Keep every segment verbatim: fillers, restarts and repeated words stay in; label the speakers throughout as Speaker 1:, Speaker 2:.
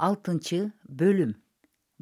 Speaker 1: Алтынчы бөлүм.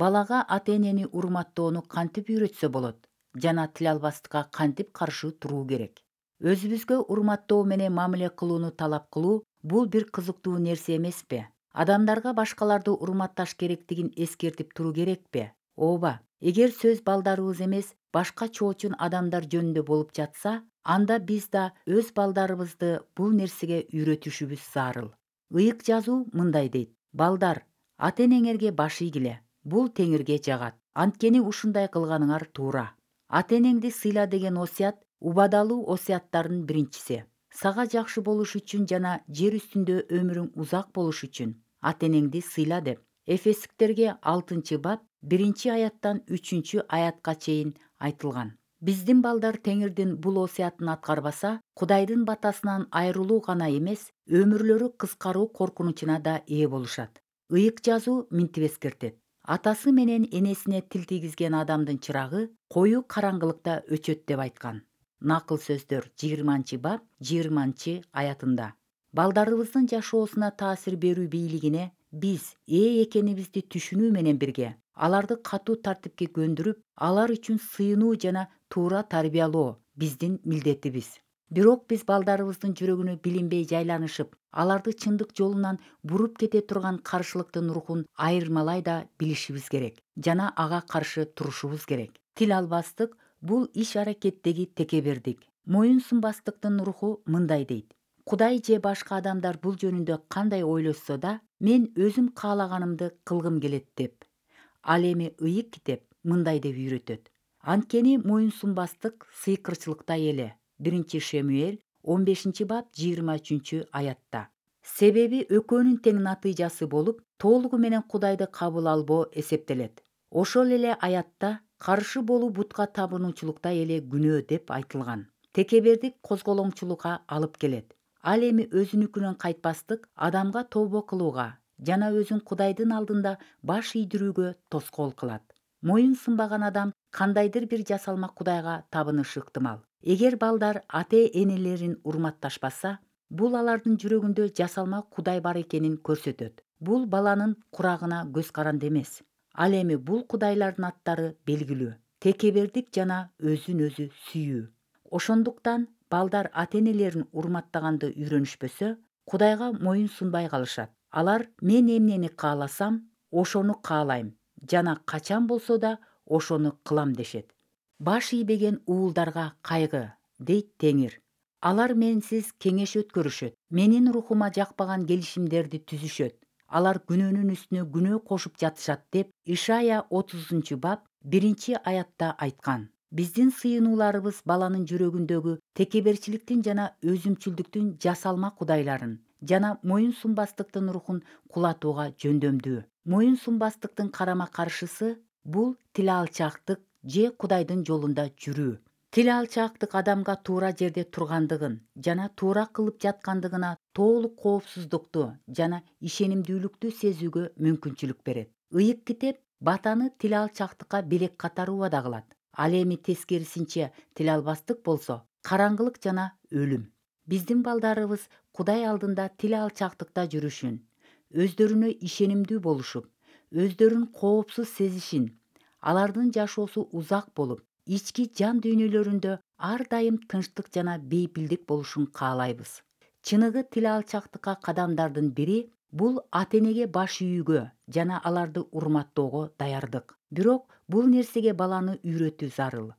Speaker 1: Балага ата-энени урматтоону кантип үйрөтсө болот жана тил албастыкка кантип каршы туруу керек? Өзүбүзгө урматтоо менен мамиле кылууну талап кылуу бул бир кызыктуу нерсе эмеспи? Адамдарга башкаларды урматташ керектигин эскертип туруу керекпи? Ооба. Эгер сөз балдарыбыз эмес, башка чоочун адамдар жөнүндө болуп жатса, анда биз да өз балдарыбызды бул нерсеге үйрөтүшүбүз зарыл. Ыйык жазуу мындай дейт: балдар, ата-энеңерге баш ийгиле. Бул теңирге жагат. Анткени ушундай кылганыңар туура. Ата-энеңди сыйла деген осуят убадалуу осуяттардын биринчиси. Сага жакшы болуш үчүн жана жер үстүндө өмүрүң узак болуш үчүн ата-энеңди сыйла деп. Эфестиктерге алтынчы бап биринчи аяттан үчүнчү аятка чейин айтылган. Биздин балдар теңирдин бул осуятын аткарбаса, Кудайдын батасынан айрылуу гана эмес, өмүрлөрү кыскаруу коркунучуна да ээ болушат. Ыйык жазуу минтип эскертет: атасы менен энесине тил тийгизген адамдын чырагы коюу караңгылыкта өчөт деп айткан. Накыл сөздөр жыйырманчы бап жыйырманчы аятында. Балдарыбыздын жашоосуна таасир берүү бийлигине биз ээ экенибизди түшүнүү менен бирге, аларды катуу тартипке көндүрүп, алар үчүн сыйынуу жана туура тарбиялоо биздин милдетибиз. Бирок биз балдарыбыздын жүрөгүнө билинбей жайланышып, аларды чындык жолунан буруп кете турган каршылыктын рухун айырмалай да билишибиз керек жана ага каршы турушубуз керек. Тил албастык бул иш-аракеттеги текебердик. Моюн сунбастыктын руху мындай дейт: Кудай же башка адамдар бул жөнүндө кандай ойлошсо да, мен өзүм каалаганымды кылгым келет деп. Ал эми ыйык китеп мындай деп үйрөтөт: анткени моюн сунбастык сыйкырчылыкта эле. Биринчи Шемуэль он бешинчи бап жыйырма үчүнчү аятта. Себеби экөөнүн тең натыйжасы болуп, толугу менен Кудайды кабыл албоо эсептелет. Ошол эле аятта каршы болуу бутка табынуучулукта эле күнөө деп айтылган. Текебердик козголоңчулукка алып келет. Ал эми өзүнүкүнөн кайтпастык адамга тобо кылууга жана өзүн Кудайдын алдында баш ийдирүүгө тоскоол кылат. Моюн сунбаган адам кандайдыр бир жасалма Кудайга табынышы ыктымал. Эгер балдар ата-энелерин урматташпаса, бул алардын жүрөгүндө жасалма Кудай бар экенин көрсөтөт. Бул баланын курагына көз каранды эмес. Ал эми бул кудайлардын аттары белгилүү: текебердик жана өзүн өзү сүйүү. Ошондуктан балдар ата-энелерин урматтаганды үйрөнүшпөсө, Кудайга моюн сунбай калышат. Алар мен эмнени кааласам, ошону каалайм жана качан болсо да ошону кылам дешет. Баш ийбеген уулдарга кайгы, дейт Теңир. Алар менсиз кеңеш өткөрүшөт. Менин рухума жакпаган келишимдерди түзүшөт. Алар күнөөнүн үстүнө күнөө кошуп жатышат деп Ишая отузунчу бап биринчи аятта айткан. Биздин сыйынууларыбыз баланын жүрөгүндөгү текеберчиликтин жана өзүмчүлдүктүн жасалма кудайларын жана моюн сунбастыктын рухун кулатууга жөндөмдүү. Моюн сунбастыктын карама каршысы бул тил алчаактык же Кудайдын жолунда жүрүү. Тил алчаактык адамга туура жерде тургандыгын жана туура кылып жаткандыгына толук коопсуздукту жана ишенимдүүлүктү сезүүгө мүмкүнчүлүк берет. Ыйык китеп батаны тил алчаактыкка белек катары убада кылат. Ал эми тескерисинче тил албастык болсо караңгылык жана өлүм. Биздин балдарыбыз Кудай алдында тил алчаактыкта жүрүшүн, өздөрүнө ишенимдүү болушуп, өздөрүн коопсуз сезишин, алардын жашоосу узак болуп, ички жан дүйнөлөрүндө ар дайым тынчтык жана бейпилдик болушун каалайбыз. Чыныгы тил алчаактыкка кадамдардын бири бул ата-энеге баш ийүүгө жана аларды урматтоого даярдык. Бирок бул нерсеге баланы үйрөтүү зарыл.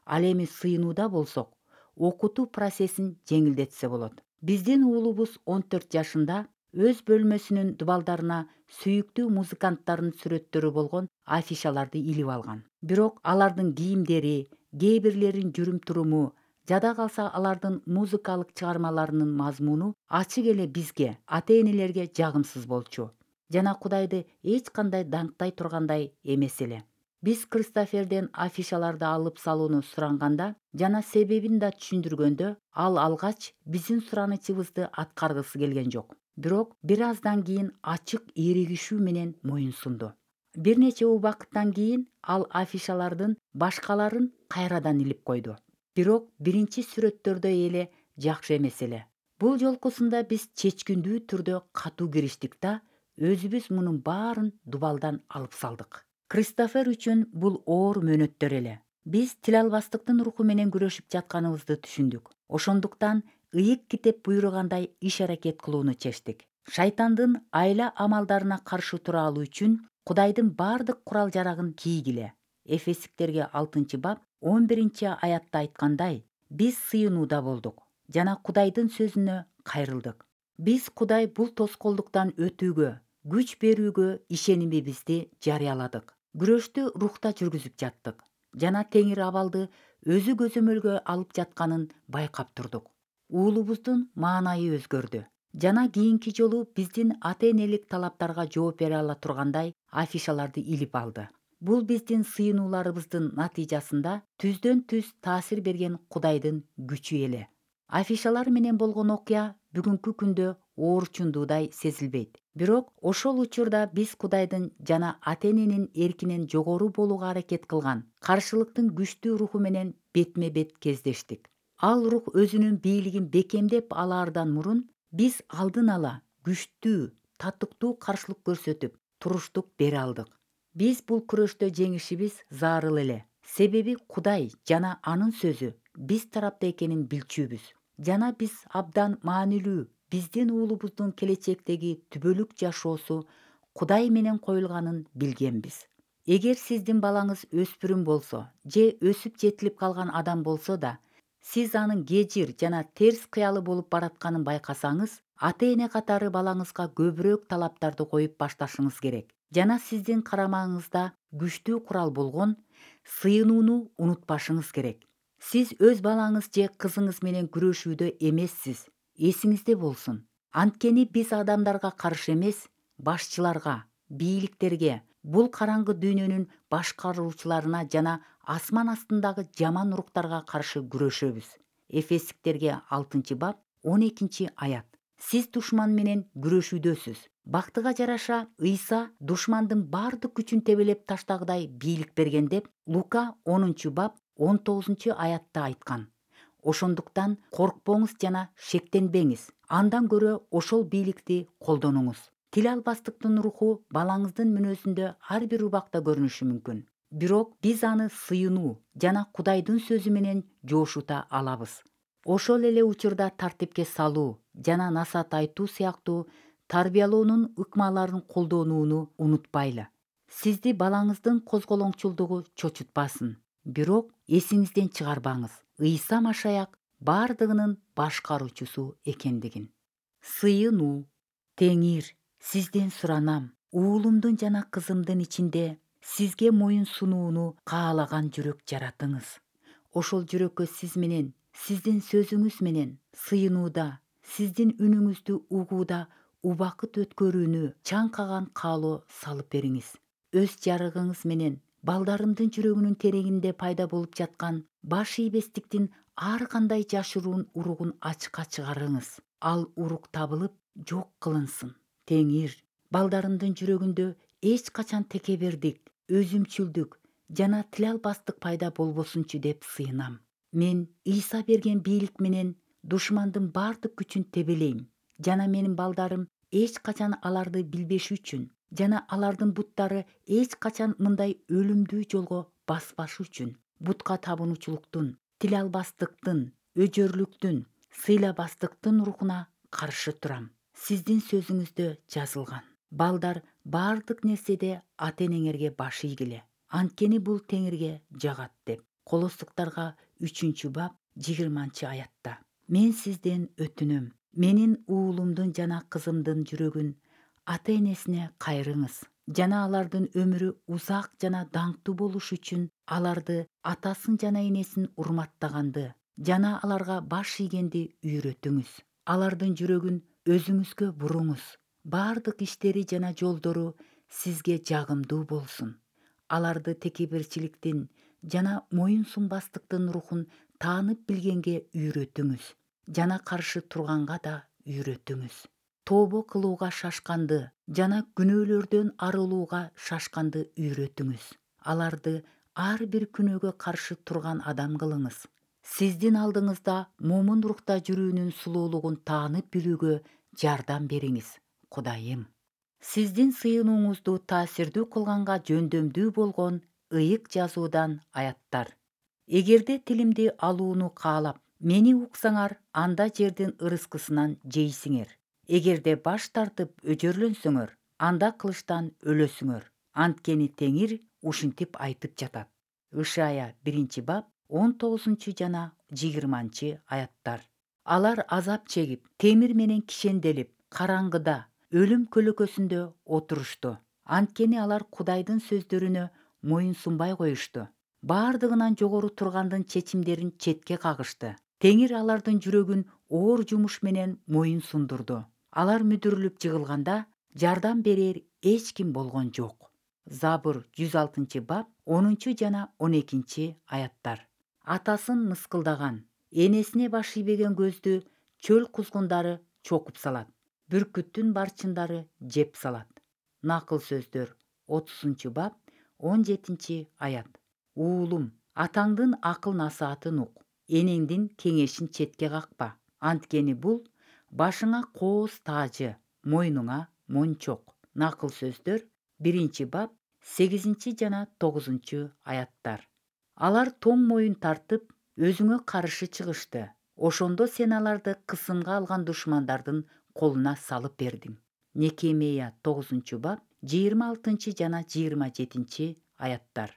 Speaker 1: Ал эми сыйынууда болсок, окутуу процессин жеңилдетсе болот. Биздин уулубуз он төрт жашында өз бөлмөсүнүн дубалдарына сүйүктүү музыканттардын сүрөттөрү болгон афишаларды илип алган. Бирок алардын кийимдери, кээ бирлеринин жүрүм-туруму, жада калса алардын музыкалык чыгармаларынын мазмуну ачык эле бизге, ата-энелерге жагымсыз болчу жана Кудайды эч кандай даңктай тургандай эмес эле. Биз Кристоферден афишаларды алып салууну суранганда жана себебин да түшүндүргөндө, ал алгач биздин суранычыбызды аткаргысы келген жок. Бирок бир аздан кийин ачык эригишүү менен моюн сунду. Бир нече убакыттан кийин ал афишалардын башкаларын кайрадан илип койду. Бирок биринчи сүрөттөрдөй эле жакшы эмес эле. Бул жолкусунда биз чечкиндүү түрдө катуу кириштик да өзүбүз мунун баарын дубалдан алып салдык. Кристофер үчүн бул оор мөөнөттөр эле. Биз тил албастыктын руху менен күрөшүп жатканыбызды түшүндүк. Ошондуктан ыйык китеп буйругандай иш аракет кылууну чечтик. Шайтандын айла амалдарына каршы тура алуу үчүн Кудайдын бардык курал жарагын кийгиле. Эфесиктерге алтынчы бап он биринчи аятта айткандай, биз сыйынууда болдук жана Кудайдын сөзүнө кайрылдык. Биз Кудай бул тоскоолдуктан өтүүгө, күч берүүгө ишенимибизди жарыяладык. Күрөштү рухта жүргүзүп жаттык жана теңир абалды өзү көзөмөлгө алып жатканын байкап турдук. Уулубуздун маанайы өзгөрдү жана кийинки жолу биздин ата-энелик талаптарга жооп бере ала тургандай афишаларды илип алды. Бул биздин сыйынууларыбыздын натыйжасында түздөн түз таасир берген Кудайдын күчү эле. Афишалар менен болгон окуя бүгүнкү күндө оорчундуудай сезилбейт. Бирок ошол учурда биз Кудайдын жана ата-эненин эркинен жогору болууга аракет кылган каршылыктын күчтүү руху менен бетме бет кездештик. Ал рух өзүнүн бийлигин бекемдеп алаардан мурун биз алдын ала күчтүү, татыктуу каршылык көрсөтүп, туруштук бере алдык. Биз бул күрөштө жеңишибиз зарыл эле. Себеби Кудай жана анын сөзү биз тарапта экенин билчүбүз. Жана биз абдан маанилүү биздин уулубуздун келечектеги түбөлүк жашоосу Кудай менен коюлганын билгенбиз. Эгер сиздин балаңыз өспүрүм болсо же өсүп жетилип калган адам болсо да, сиз анын кежир жана терс кыялы болуп баратканын байкасаңыз, ата-эне катары балаңызга көбүрөөк талаптарды коюп башташыңыз керек. Жана сиздин карамагыңызда күчтүү курал болгон сыйынууну унутпашыңыз керек. Сиз өз балаңыз же кызыңыз менен күрөшүүдө эмессиз. Эсиңизде болсун. Анткени биз адамдарга каршы эмес, башчыларга, бийликтерге, бул караңгы дүйнөнүн башкаруучуларына жана асман астындагы жаман уруктарга каршы күрөшөбүз. Эфесиктерге алтынчы бап он экинчи аят. Сиз душман менен күрөшүүдөсүз. Бактыга жараша Ыйса душмандын бардык күчүн тебелеп таштагыдай бийлик берген деп Лука онунчу бап он тогузунчу аятта айткан. Ошондуктан коркпоңуз жана шектенбеңиз. Андан көрө ошол бийликти колдонуңуз. Тил албастыктын руху балаңыздын мүнөзүндө ар бир убакта көрүнүшү мүмкүн. Бирок биз аны сыйынуу жана Кудайдын сөзү менен жоошута алабыз. Ошол эле учурда тартипке салуу жана насаат айтуу сыяктуу тарбиялоонун ыкмаларын колдонууну унутпайлы. Сизди балаңыздын козголоңчулдугу чочутпасын. Бирок эсиңизден чыгарбаңыз. Ыйса Машаяк бардыгынын башкаруучусу экендигин. Сыйынуу. Теңир, сизден суранам. Уулумдун жана кызымдын ичинде сизге моюн сунууну каалаган жүрөк жаратыңыз. Ошол жүрөккө сиз менен, сиздин сөзүңүз менен сыйынууда, сиздин үнүңүздү угууда убакыт өткөрүүнү чаңкаган каалоо салып бериңиз. Өз жарыгыңыз менен балдарымдын жүрөгүнүн тереңинде пайда болуп жаткан баш ийбестиктин ар кандай жашыруун уругун ачыкка чыгарыңыз. Ал урук табылып, жок кылынсын. Теңир, балдарымдын жүрөгүндө эч качан текебердик, өзүмчүлдүк жана тил албастык пайда болбосунчу деп сыйынам. Мен Ыйса берген бийлик менен душмандын бардык күчүн тебелейм жана менин балдарым эч качан аларды билбеши үчүн жана алардын буттары эч качан мындай өлүмдүү жолго баспашы үчүн бутка табынуучулуктун, тил албастыктын, өжөрлүктүн, сыйлабастыктын рухуна каршы турам. Сиздин сөзүңүздө жазылган. Балдар бардык нерседе ата-энеңерге баш ийгиле. Анткени бул теңирге жагат деп. Колостуктарга үчүнчү бап жыйырманчы аятта. Мен сизден өтүнөм. Менин уулумдун жана кызымдын жүрөгүн ата-энесине кайрыңыз жана алардын өмүрү узак жана даңктуу болуш үчүн аларды атасын жана энесин урматтаганды жана аларга баш ийгенди үйрөтүңүз. Алардын жүрөгүн өзүңүзгө буруңуз. Бардык иштери жана жолдору сизге жагымдуу болсун. Аларды текеберчиликтин жана моюн сунбастыктын рухун таанып билгенге үйрөтүңүз жана каршы турганга да үйрөтүңүз. Тообо кылууга шашканды жана күнөөлөрдөн арылууга шашканды үйрөтүңүз. Аларды ар бир күнөөгө каршы турган адам кылыңыз. Сиздин алдыңызда момун рухта жүрүүнүн сулуулугун таанып билүүгө жардам бериңиз, Кудайым. Сиздин сыйынууңузду таасирдүү кылганга жөндөмдүү болгон ыйык жазуудан аяттар. Эгерде тилимди алууну каалап, мени уксаңар, анда жердин ырыскысынан жейсиңер. Эгерде баш тартып өжөрлөнсөңөр, анда кылычтан өлөсүңөр. Анткени Теңир ушинтип айтып жатат. Ышая биринчи бап он тогузунчу жана жыйырманчы аяттар. Алар азап чегип, темир менен кишенделип, караңгыда, өлүм көлөкөсүндө отурушту. Анткени алар Кудайдын сөздөрүнө моюн сунбай коюшту. Бардыгынан жогору тургандын чечимдерин четке кагышты. Теңир алардын жүрөгүн оор жумуш менен моюн сундурду. Алар мүдүрүлүп жыгылганда, жардам берер эч ким болгон жок. Забур жүз алтынчы бап онунчу жана он экинчи аяттар. Атасын мыскылдаган, энесине баш ийбеген көздү чөл кузгундары чокуп салат. Бүркүттүн барчындары жеп салат. Накыл сөздөр отузунчу бап он жетинчи аят. Уулум, атаңдын акыл насаатын ук, энеңдин кеңешин четке какпа. Анткени бул башыңа кооз таажы, мойнуңа мончок. Накыл сөздөр биринчи бап сегизинчи жана тогузунчу аяттар. Алар тоң моюн тартып, өзүңө каршы чыгышты. Ошондо сен аларды кысымга алган душмандардын колуна салып бердиң. Некемия тогузунчу бап жыйырма алтынчы жана жыйырма жетинчи аяттар.